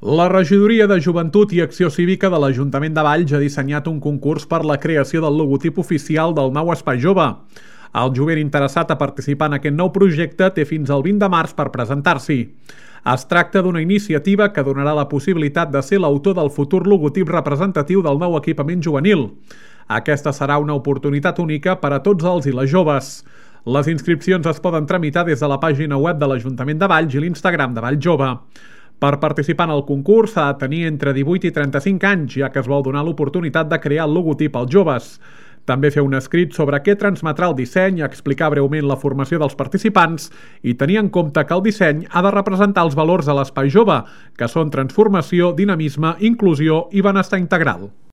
La Regidoria de Joventut i Acció Cívica de l'Ajuntament de Valls ha dissenyat un concurs per la creació del logotip oficial del nou Espai Jove. El jovent interessat a participar en aquest nou projecte té fins al 20 de març per presentar-s'hi. Es tracta d'una iniciativa que donarà la possibilitat de ser l'autor del futur logotip representatiu del nou equipament juvenil. Aquesta serà una oportunitat única per a tots els i les joves. Les inscripcions es poden tramitar des de la pàgina web de l'Ajuntament de Valls i l'Instagram de Valls Jove. Per participar en el concurs s'ha de tenir entre 18 i 35 anys, ja que es vol donar l'oportunitat de crear el logotip als joves. També fer un escrit sobre què transmetrà el disseny, explicar breument la formació dels participants i tenir en compte que el disseny ha de representar els valors de l'Espai Jove, que són transformació, dinamisme, inclusió i benestar integral.